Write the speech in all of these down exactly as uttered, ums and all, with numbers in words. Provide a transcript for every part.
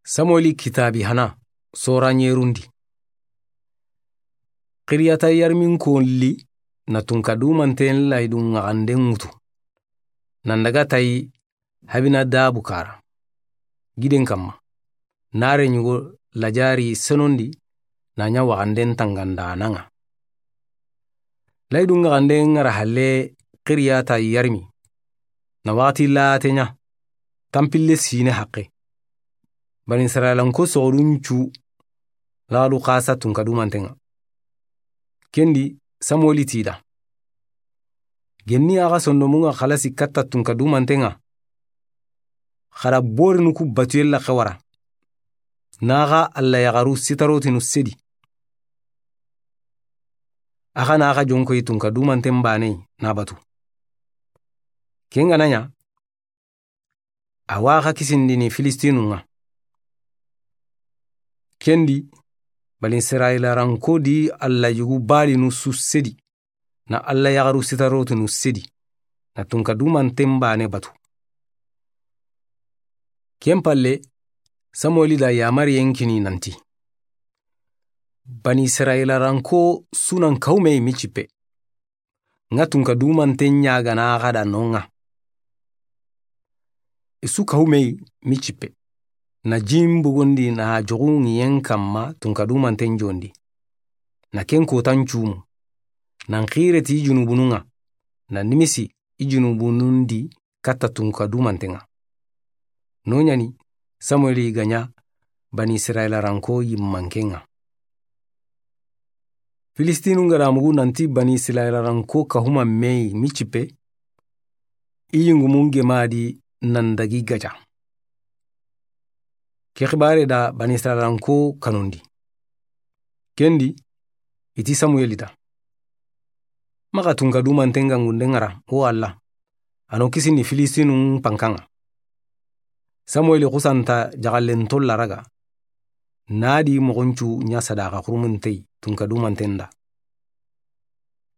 Samueli kitaabi hana, sora ɲerundi. Xiriyata yarmin ko li na tunka dumanten laydun ŋaxanden ŋutu. Nan daga tayi Habinadabu kara giden kamma. Nare ɲugo lajari senondi na ɲa waxanden tangandanaŋa. Laydun ŋaxanden ŋara halle xiriyata yarmi. Na waxati late ɲa, tanpille sine haqqe. Bani Israilanko soxodun cu laxadu xasa tunka dumanten ŋa. Kendi Samueli tida. Genni axa sondomun ŋa xalasi katta tunka dumanten ŋa. Xara borinu ku batuye laxe wara. Naxa Alla yaxaru sitarotinu sedi. Axa naxa jonkoyi tunka dumanten bane na batu. Ken ga na ɲa, awa xa kisindini Filistinun ŋa. Kendi, Bani Israila ranko di Alla yugu balinu su sedi, na Alla yaxaru sitarotinu sedi, na tunka dumanten bane batu. Ken palle, Samueli da yamariyen kini nanti. Bani Israila ranko sunan kawume mi cippe. Ŋa tunka dumanten ɲagana xa da non ŋa. I su kawume mi cippe. Na jin bugundi na joxu ŋiyen kamma tunka dumanten jondi. Na ken kotan cumu. Nan xireti junubunun ŋa. Na nimisi i junubunun di katta tunka dumanten ŋa. No ɲani Samueli ga ɲa Bani Israila ranko yimmanken ŋa. Filistinun ga da mugu nanti Bani Israila ranko kahuma meyi mi cippe, i yingumun gemadi nan dagi gaja. Ke xibare da Bani Israila ranko kanundi. Kendi, i ti Samueli da. Maxa tunka dumanten gangunden ŋara, o Alla. Ano kisini Filistinun pankan ŋa. Samueli xusanta jaxallen tolla raga. Nadi moxoncu ɲa sadaxa xurumuntey tunka dumanten da.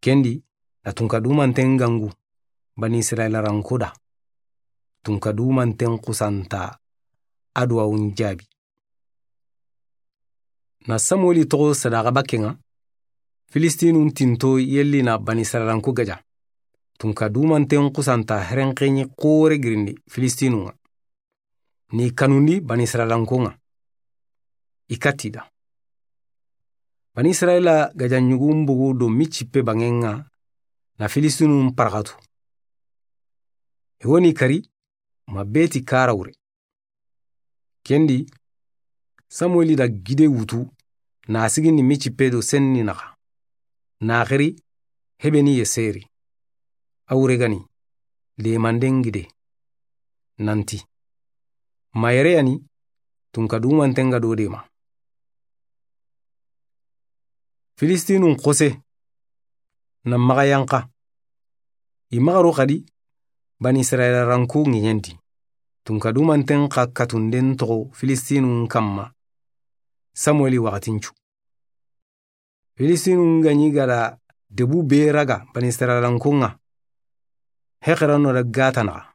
Kendi, na tunka dumanten gangu, Bani Israila ranko da. Tunka dumanten xusanta aduwawun jabi. Na Samueli toxo sadaxa bakken ŋa, Filistinun tinto yelli na Bani Israilanko gaja. Tunka dumanten xusanta herenxeɲi xore girindi Filistinun ŋa. Ni kanundi Bani Israilankon ŋa. I katti da. Bani Israila gaja ɲugun bugu do mi cippe bangen ŋa na Filistinun paraxatu. I woni kari ma beti kara wure. Kendi, Samueli da gide wutu, na sigindi mi cippe do senni naxa. Na xiri, hebeni ye seri. A wure gani, lemanden gide. Nanti. Ma yere yani, tunka dumanten ga do dema. Filistinun xose, na maxa yanqa. I maxa ro xadi, Bani Israila ranko ŋiɲenti. Tunka dumanten xa katunden toxo Filistinun kamma. Samueli waxatincu. Filistinun gaɲi gada debu be raga Bani Israilankon ŋa. Hexerano da gata naxa.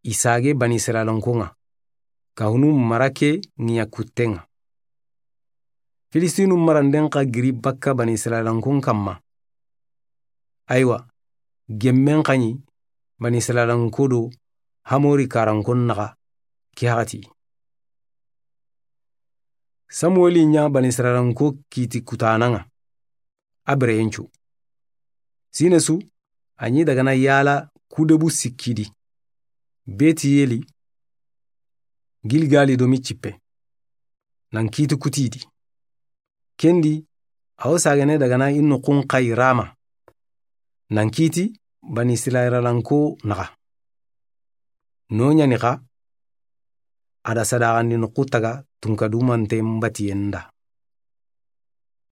I sage Bani Israilankon ŋa. Kahunu marake ŋiɲa kutten ŋa. Filistinun maranden xa giri bakka Bani Israilankon kamma. Aywa, gemmen xaɲi Bani Israilanko do Hamori karankon naxa ki haxati. Samueli ɲa Bani Israilanko kiti kutanan ŋa. A bereyencu. Sine su, a ɲi dagana yala kudebu sikkidi. Beti yeli, Gilgali do mi cippe. Nan kiti kutidi. Kendi, a wo sagene dagana i noxun xayi Rama. Nan kiti Bani Israilalanko naxa. No ɲani xa, a da sadaxandi noxu taga tunka dumanten batiyen da.